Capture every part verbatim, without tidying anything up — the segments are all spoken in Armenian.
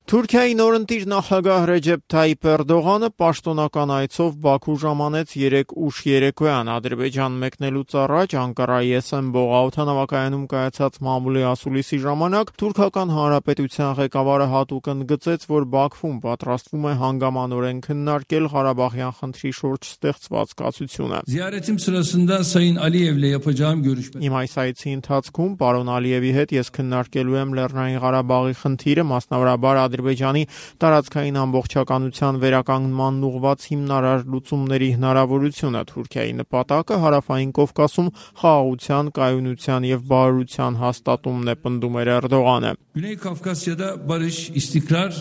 Թուրքիայի նորընտիր նախագահ Ռեջեփ Թայիփ Էրդողանը պաշտոնական այցով Բաքու ժամանեց երեկ ուշ երեկոյան։ Ադրբեջան մեկնելուց առաջ Անկարայի Էսենբող օդանավակայանում կայացած մամուլի ասուլիսի ժամանակ Թուրքական Հանրապետության ղեկավարը հատուկ ընդգծեց, որ Բաքվում պատրաստվում է հանգամանորեն քննարկել Ղարաբաղյան խնդրի շուրջ ստեղծված կացությունը։ Ziyaretim sırasında Sayın Aliyev'le yapacağım görüşme. Իմ այս այցի ընթացքում պարոն Ալիևի հետ ես քննարկելու եմ Լեռնային Ղարաբաղի խնդիրը, մասնավորաբար Ադրբեջանի տարածքային ամբողջականության վերականգնման ուղղված հիմնարար լուծումների հնարավորությունը։ Թուրքիայի նպատակը Հարավային Կովկասում խաղաղության, կայունության եւ բարօրության հաստատումն է, պնդում էր Էրդողանը։ Güney Kafkasya'da barış, istikrar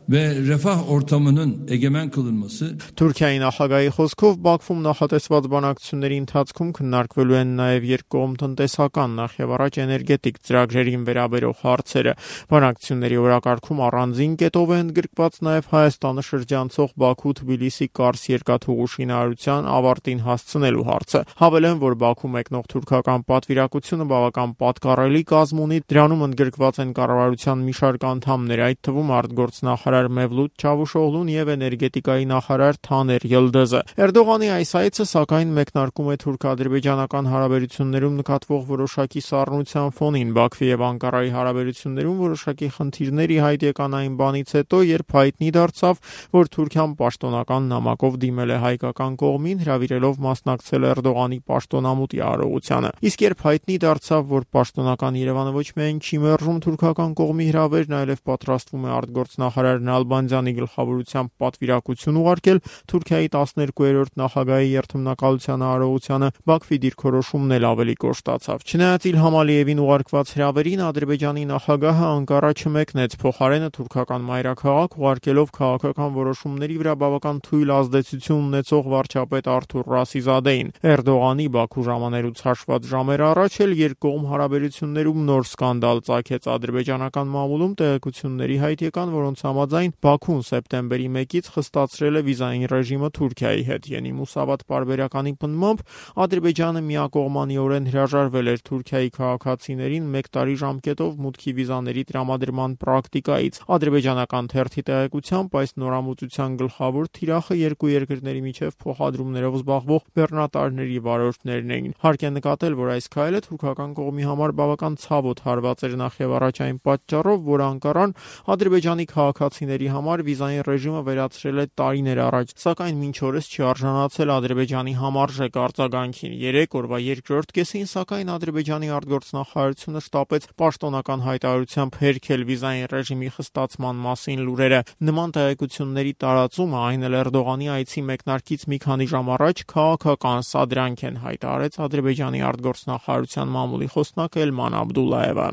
ve refah ortamının egemen kılınması. Թուրքիայի նախագահի խոսքով Բաքվում նախատեսված բանակցությունների ընթացքում քննարկվելու են նաև երկկողմ տնտեսական, նախևառաջ էներգետիկ ծրագրերին վերաբերող հարցերը։ Բանակցությունների օրակարգում առանձին կետով է ընդգրկված նաև Հայաստանը շրջանցող Բաքու-Թբիլիսի-Կարս երկաթուղու շինարարության ավարտին հասցնելու հարցը։ Հավելեն, որ Բաքու մեկնող թուրքական պատվիրակությունը բավական պատկառելի կազմ ունի, դրանում ընդգրկված են կառավարության մի շարք անդամներ, այդ թվում արտգործնախարար Մևլութ Չավուշօղլուն եւ էներգետիկայի նախարար Թաներ Յիլդիզը։ Էրդողանի այս այցը սակայն մեկնարկում է թուրք-ադրբեջանական հարաբերություններում նկատվող որոշակի սառնության ֆոնին։ Բաքվի եւ Անկարայի հարաբերություններում որոշակի խնդիրներ ի հայտ եկան այն բանից հետո, երբ հայտնի դարձավ, որ Թուրքիան պաշտոնական նամակով դիմել է հայկական կողմին, հրավիրելով մասնակցել Էրդողանի պաշտոնամուտի արարողությանը։ Իսկ երբ հայտնի դարձավ, որ պաշտոնական Երևանը ոչ միայն չի մերժում թուրքական կողմի հրավերն, այլև պատրաստվում է արտգործնախարար Նալբանդյանի գլխավորությամբ պատվիրակություն ուղարկել Թուրքիայի տասներկուերորդ նախագահի երթմնակալության արարողությանը, Բաքվի դիրքորոշումն էլ ավելի կոշտացավ։ Չնայած Իլհամ Ալիևին ուղարկված հրավերին Ադրբեջանի նախագահը Անկարա չմեկնեց, փոխարենը թուրքական մայրաքաղաք ուղարկելով քաղաքական որոշումների վրա բավական թույլ ազդեցություն ունեցող վարչապետ Արթուր Ռասիզադեին։ Էրդողանի Բաքու ժամանելուց հաշված ժամեր առաջ էլ երկկողմ հարաբերություններում նոր սկանդալ ծագեց ադրբեջանական մամուլում տեղեկությունների հայտ եկան, որոնց համաձայն Բաքուն սեպտեմբերի մեկից խստացրել է վիզային ռեժիմը Թուրքիայի հետ։ Յենի Մուսավատ պարբերականի պնդմամբ Ադրբեջանը միակողմանիորեն հրաժարվել էր Թուրքիայի քաղաքացիներին մեկ տարի ժամկետով մուտքի վիզաների տրամադրման պրակտիկայից։ Ադրբեջանական թերթի տեղեկությամբ այս նորամուծության գլխավոր թիրախը երկու երկրների միջև փոխադրումներով զբաղվող բեռնատարների վարորդներն էին։ Հարկ է նկատել, որ այս քայլը թուրքական կողմի համար բավական ցավոտ հարված էր նախևառաջ այն պատճառով, որ Անկարան Ադրբեջանի քաղաքացիների համար վիզային ռեժիմը վերացրել է տարիներ առաջ, սակայն մինչ օրս չի արժանացել Ադրբեջանի համարժեք արձագանքին։ Երեք օրվա երկրորդ կեսին, սակայն Ադրբեջանի արտգործնախարարությունը շտապեց պաշտոնական հայտարարությամբ հերքել վիզային ռեժիմի խստացման մասին լուրերը։ Նման տեղեկությունների տարածումը, այն էլ Էրդողանի այցի մեկնարկից մի քանի ժամ առաջ, քաղաքական սադրանք են, հայտարարեց Ադրբեջանի արտգործնախարարության մամուլի խոսնակ Էլման Աբդուլլայևը։